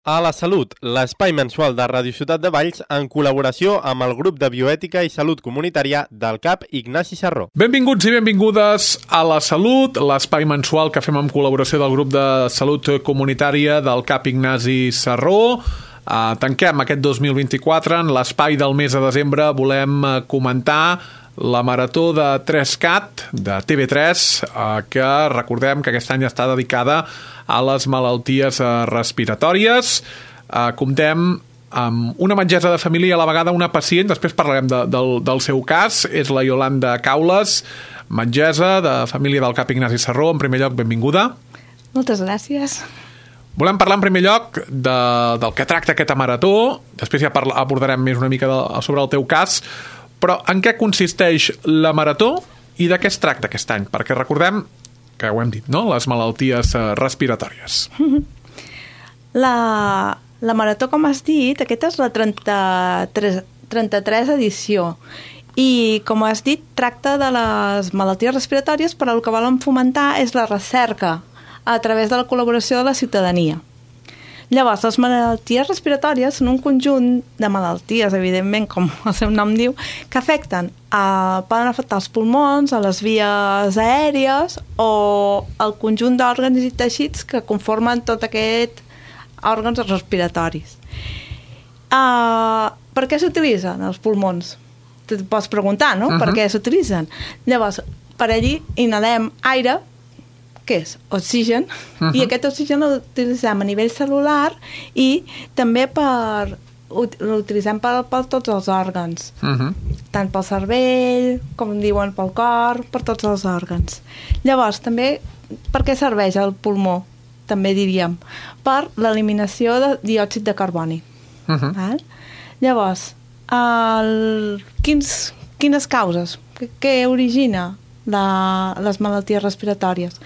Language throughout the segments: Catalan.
A la Salut, l'espai mensual de Ràdio Ciutat de Valls en col·laboració amb el grup de bioètica i salut comunitària del CAP Ignasi Sarró. Benvinguts i benvingudes a La Salut, l'espai mensual que fem amb col·laboració del grup de salut comunitària del CAP Ignasi Sarró. Tanquem aquest 2024. En l'espai del mes de desembre volem comentar la marató de 3CAT de TV3, que recordem que aquest any està dedicada a les malalties respiratòries. Comptem amb una metgessa de família i a la vegada una pacient, després parlarem del seu cas, és la Iolanda Caules, metgessa de família del CAP Ignasi Sarró. En primer lloc, benvinguda. Moltes gràcies. Volem parlar en primer lloc del que tracta aquesta marató, després ja abordarem més una mica sobre el teu cas, però en què consisteix la marató i de què es tracta aquest any? Perquè recordem que ho hem dit, no? Les malalties respiratòries. La marató, com has dit, aquesta és la 33 edició. I, com has dit, tracta de les malalties respiratòries, però el que volen fomentar és la recerca a través de la col·laboració de la ciutadania. Llavors, les malalties respiratòries són un conjunt de malalties, evidentment, com el seu nom diu, que poden afectar els pulmons, a les vies aèries o el conjunt d'òrgans i teixits que conformen tot aquest òrgans respiratoris. Per què s'utilitzen els pulmons? Te pots preguntar, no? Per què s'utilitzen? Llavors, per allí inhalem aire, que és oxigen, i aquest oxigen l'utilitzem a nivell celular i també l'utilitzem per tots els òrgans, tant pel cervell, com diuen, pel cor, per tots els òrgans. Llavors, també, per què serveix el pulmó? També diríem, per l'eliminació de diòxid de carboni. Llavors, quines causes? Què origina les malalties respiratòries?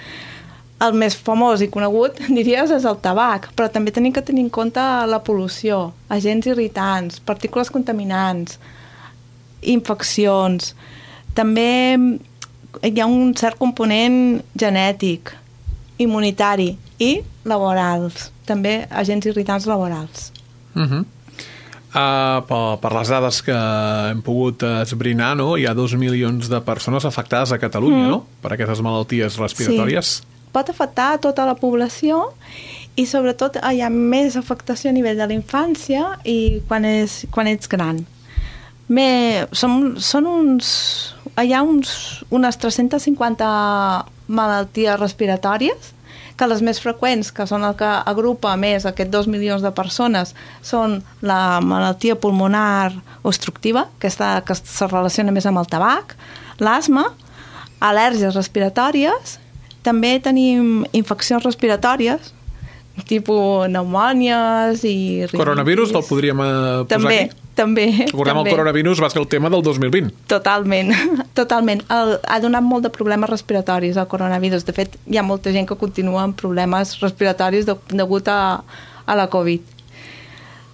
El més famós i conegut, diries, és el tabac, però també tenim que tenir en compte la pol·lució, agents irritants, partícules contaminants, infeccions. També hi ha un cert component genètic, immunitari i laborals, també agents irritants laborals. Per les dades que hem pogut esbrinar, no? Hi ha 2 milions de persones afectades a Catalunya, no? Per aquestes malalties respiratòries. Sí. Pot afectar a tota la població i sobretot hi ha més afectació a nivell de la infància i quan ets gran. Hi ha unes 350 malalties respiratòries, que les més freqüents, que són el que agrupa més aquests 2 milions de persones, són la malaltia pulmonar obstructiva, que se relaciona més amb el tabac, l'asma, al·lèrgies respiratòries. També tenim infeccions respiratòries, tipus pneumònies i... Coronavirus el podríem posar aquí? També. Recordem, el coronavirus va ser el tema del 2020. Totalment. Ha donat molt de problemes respiratoris, el coronavirus. De fet, hi ha molta gent que continua amb problemes respiratoris degut a la Covid.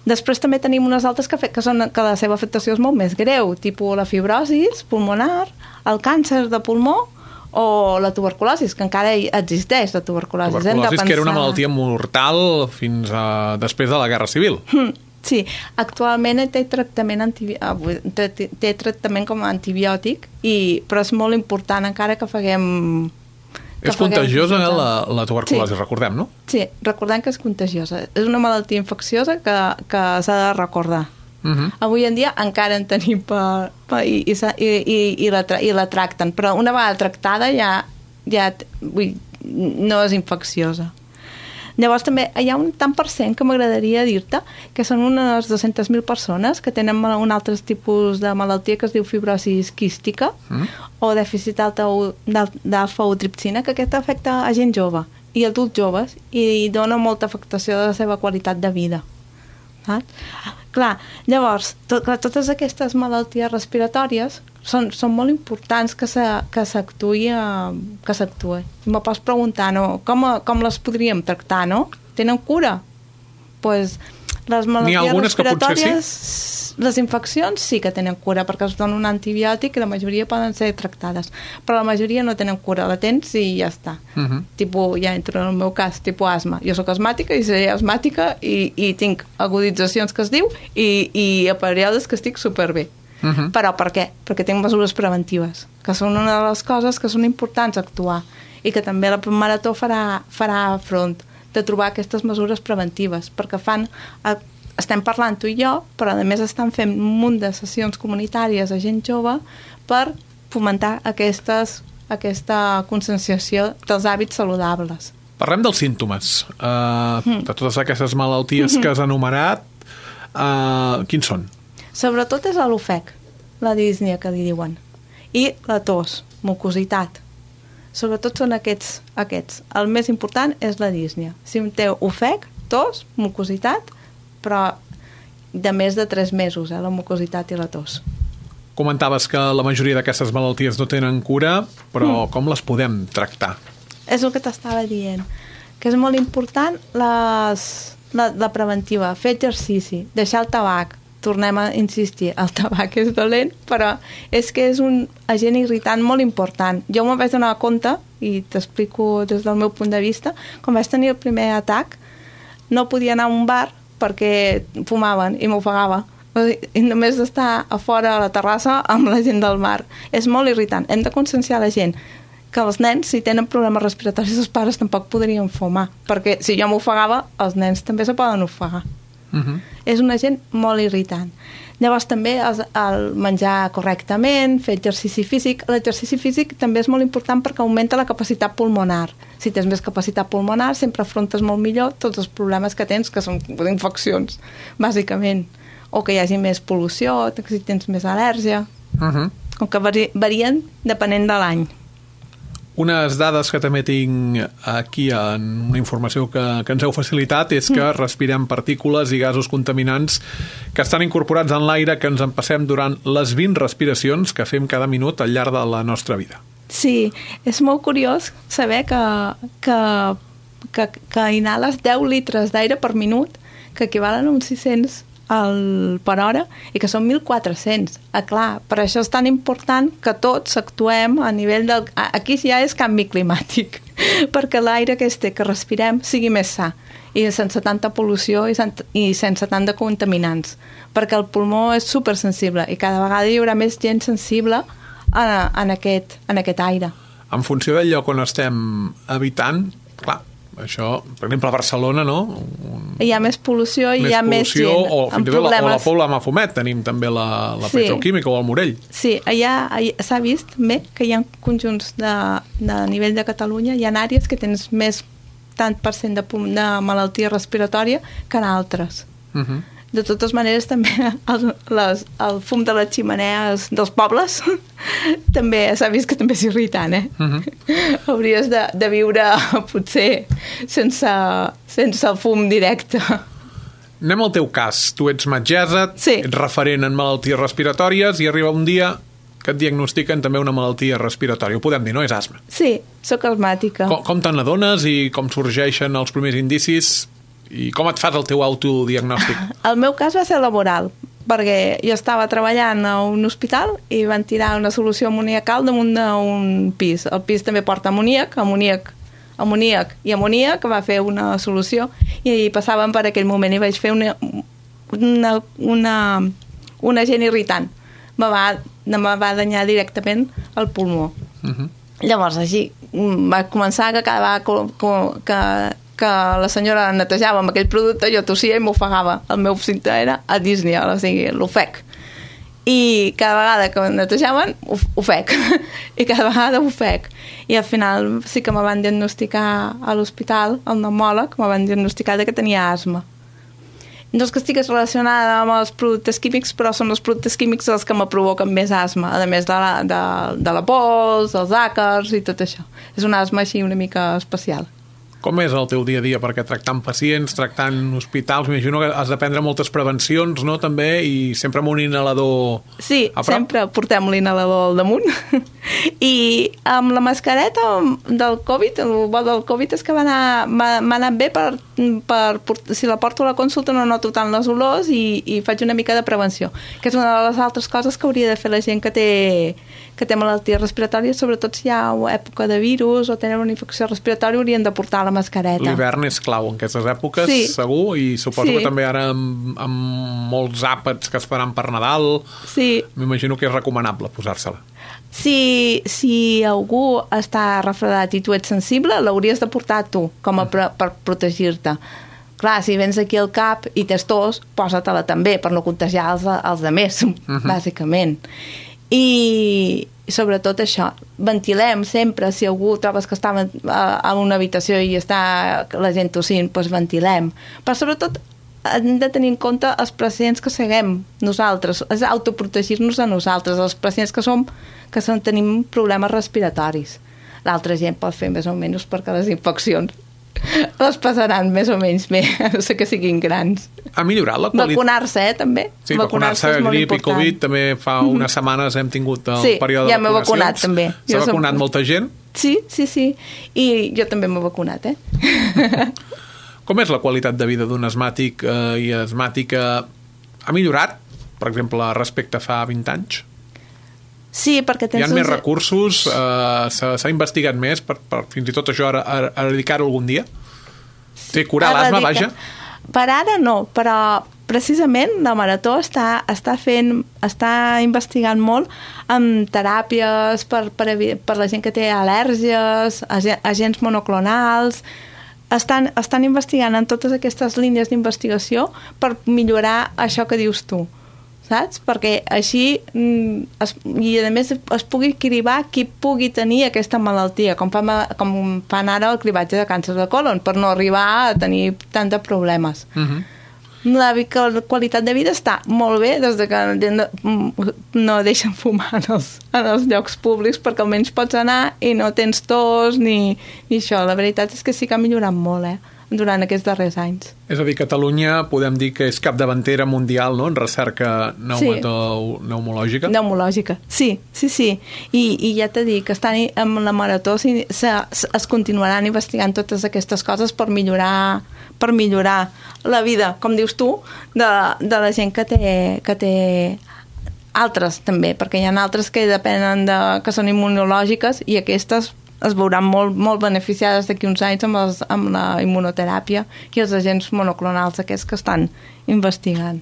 Després també tenim unes altres que la seva afectació és molt més greu, tipus la fibrosi pulmonar, el càncer de pulmó, o la tuberculosi, que encara existeix, la tuberculosi. Tuberculosi, que era una malaltia mortal fins després de la Guerra Civil. Sí, actualment té tractament com a antibiòtic, però és molt important encara que faguem... És contagiosa, la tuberculosi, recordem, no? Sí, recordem que és contagiosa. És una malaltia infecciosa que s'ha de recordar. Avui en dia encara en tenim i la tracten, però una vegada tractada ja no és infecciosa. Llavors també hi ha un tant per cent que m'agradaria dir-te que són unes 200.000 persones que tenen un altre tipus de malaltia que es diu fibrosi quística o dèficit d'alfa-tripsina, que aquesta afecta a gent jove i adults joves i dona molta afectació de la seva qualitat de vida. Clar, llavors, totes aquestes malalties respiratòries són molt importants que s'actuï. Me pots preguntar, no? Com les podríem tractar, no? Tenen cura? Pues les malalties respiratòries Les infeccions sí que tenen cura perquè es dona un antibiòtic i la majoria poden ser tractades, però la majoria no tenen cura, la tens i ja està. Tipus, ja entro en el meu cas, tipus asma. Jo sóc asmàtica i seré asmàtica i tinc aguditzacions que es diu i a períodes que estic superbé. Però per què? Perquè tinc mesures preventives, que són una de les coses que són importants actuar i que també la Marató farà front de trobar aquestes mesures preventives, perquè estem parlant tu i jo, però a més estan fent un munt de sessions comunitàries a gent jove per fomentar aquesta conscienciació dels hàbits saludables. Parlem dels símptomes. De totes aquestes malalties que has enumerat, quins són? Sobretot és l'ofec, la dísnia que li diuen, i la tos, mucositat. Sobretot són aquests. El més important és la dísnia. Si un té ofec, tos, mucositat, però de més de 3 mesos, la mucositat i la tos. Comentaves que la majoria d'aquestes malalties no tenen cura, però com les podem tractar? És el que t'estava dient, que és molt important la preventiva, fer exercici, deixar el tabac. Tornem a insistir, el tabac és dolent, però és que és un agent irritant molt important. Jo m'ho vaig donar compte, i t'explico des del meu punt de vista, quan vaig tenir el primer atac, no podia anar a un bar perquè fumaven i m'ofegava. I només d'estar a fora a la terrassa amb la gent del bar. És molt irritant. Hem de conscienciar la gent que els nens, si tenen problemes respiratoris, els pares tampoc podrien fumar, perquè si jo m'ofegava, els nens també se poden ofegar. És un agent molt irritant. Llavors també el menjar correctament, fer exercici físic. L'exercici físic també és molt important perquè augmenta la capacitat pulmonar. Si tens més capacitat pulmonar sempre afrontes molt millor tots els problemes que tens, que són infeccions, bàsicament, o que hi hagi més pol·lució, si tens més al·lèrgia, com que varien depenent de l'any. Unes dades que també tinc aquí en una informació que ens heu facilitat és que respirem partícules i gasos contaminants que estan incorporats en l'aire que ens empassem durant les 20 respiracions que fem cada minut al llarg de la nostra vida. Sí, és molt curiós saber que inhales 10 litres d'aire per minut, que equivalen a uns 600 per hora, i que són 1.400. Clar, per això és tan important que tots actuem a nivell del... Aquí ja és canvi climàtic, perquè l'aire que respirem sigui més sa, i sense tanta pol·lució i sense tant de contaminants, perquè el pulmó és supersensible i cada vegada hi haurà més gent sensible en aquest aire. En funció del lloc on estem habitant, clar, això, per exemple, a Barcelona, no? Hi ha més pol·lució i hi ha més gent o fins i tot la Pobla Mafumet, tenim també la petroquímica o el Morell. Sí, allà s'ha vist també que hi ha conjunts de nivell de Catalunya, hi ha àrees que tens més tant % de malaltia respiratòria que en altres. De totes maneres, també el fum de les ximenees dels pobles també s'ha vist que també és irritant, Hauries de viure, potser, sense el fum directe. Anem al teu cas. Tu ets metgessa, ets referent en malalties respiratòries i arriba un dia que et diagnostiquen també una malaltia respiratòria. Ho podem dir, no? És asma. Sí, sóc asmàtica. Com te n'adones i com sorgeixen els primers indicis? I com et fas el teu autodiagnòstic? El meu cas va ser laboral, perquè jo estava treballant a un hospital i van tirar una solució amoniacal damunt d'un pis. El pis també porta amoníac, que va fer una solució, i passàvem per aquell moment i vaig fer un agent irritant. Me va danyar directament el pulmó. Llavors, així, va començar que cada vegada que la senyora netejava amb aquell producte, jo tossia i m'ofegava. El meu símptoma era adísnia, o sigui, l'ofec. I cada vegada que netejaven, ofec. I cada vegada ofec. I al final sí que me van diagnosticar a l'hospital, al pneumòleg, me van diagnosticar que tenia asma. No és que estigués relacionada amb els productes químics, però són els productes químics els que me provoquen més asma, a més de la pols, els àcars i tot això. És una asma així una mica especial. Com és el teu dia a dia? Perquè tractant pacients, tractant hospitals, m'imagino que has de prendre moltes prevencions, no?, també, i sempre amb un inhalador Sí, a prop. sempre portem l'inhalador al damunt. I amb la mascareta del Covid, el bo del Covid és que m'ha anat bé si la porto a la consulta no noto tant les olors i faig una mica de prevenció, que és una de les altres coses que hauria de fer la gent que té malalties respiratòries, sobretot si hi ha època de virus o tenen una infecció respiratòria, haurien de portar la mascareta. L'hivern és clau en aquestes èpoques, Sí. segur, i suposo Sí. que també ara amb molts àpats que es faran per Nadal, Sí, m'imagino que és recomanable posar-se-la. si algú està refredat i tu ets sensible, l'hauries de portar tu com a per protegir-te. Clar, si vens aquí al CAP i tens tos, posa-te-la també per no contagiar els altres, bàsicament. I sobretot això, ventilem sempre, si algú trobes que està en una habitació i està la gent tossint, doncs ventilem. Però sobretot hem de tenir en compte els pacients que seguem nosaltres, és autoprotegir-nos a nosaltres, els pacients que tenim problemes respiratoris. L'altra gent pot fer més o menys perquè les infeccions les passaran més o menys bé, a no ser que siguin grans. Ha millorat la qualitat? Vacunar-se, també. Sí, vacunar-se, és molt grip i important. Covid, també fa unes setmanes hem tingut el Sí, període ja de m'he vacunacions. vacunat, també. S'ha vacunat molta gent? Sí. I jo també m'he vacunat, Com és la qualitat de vida d'un asmàtic i asmàtica? Ha millorat, per exemple, respecte a fa 20 anys? Sí, perquè Hi tens... ha més recursos? S'ha investigat més per fins i tot això eradicar-ho algun dia? Sí, curar l'asma, vaja? Per ara no, però precisament la Marató està investigant molt amb teràpies per la gent que té al·lèrgies, agents monoclonals. Estan investigant en totes aquestes línies d'investigació per millorar això que dius tu, saps? Perquè així, i a més es pugui cribar qui pugui tenir aquesta malaltia, com fan ara el cribatge de càncer de colon, per no arribar a tenir tant de problemes. La qualitat de vida està molt bé des de que no deixen fumar en els llocs públics, perquè almenys pots anar i no tens tos ni això. La veritat és que sí que ha millorat molt, durant aquests darrers anys. És a dir, Catalunya podem dir que és capdavantera mundial, no?, en recerca pneumològica. Pneumològica, sí. I ja t'he dit que amb la Marató es continuaran investigant totes aquestes coses per millorar la vida, com dius tu, de la gent que té altres també, perquè hi ha altres que depenen que són immunològiques i aquestes es veuran molt beneficiades d'aquí uns anys amb la immunoteràpia i els agents monoclonals aquests que estan investigant.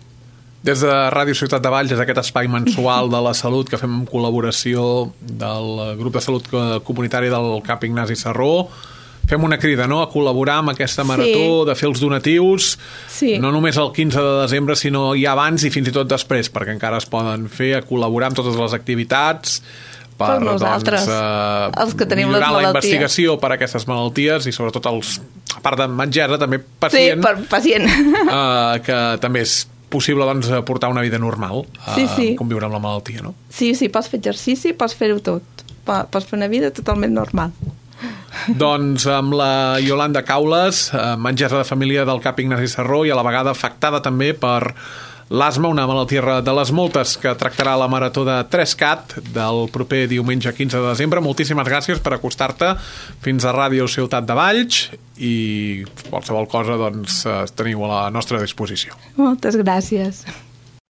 Des de Ràdio Ciutat de Valls, és aquest espai mensual de la salut que fem en col·laboració del grup de salut comunitari del CAP Ignasi Serró. Fem una crida, no?, a col·laborar amb aquesta marató, de fer els donatius, no només el 15 de desembre, sinó ja abans i fins i tot després, perquè encara es poden fer, a col·laborar amb totes les activitats per nosaltres, els que tenim les millorar malalties. la investigació per a aquestes malalties i sobretot a part de metgessa, també pacient, per pacient. Que també és possible portar una vida normal, conviure amb la malaltia, no? Sí, pots fer exercici, pots fer-ho tot, pots fer una vida totalment normal. Doncs amb la Iolanda Caules, metgessa de família del CAP Ignasi Serró i a la vegada afectada també per l'asma, una malaltia de les moltes que tractarà la marató de 3CAT del proper diumenge 15 de desembre. Moltíssimes gràcies per acostar-te fins a Ràdio Ciutat de Valls i qualsevol cosa teniu a la nostra disposició. Moltes gràcies.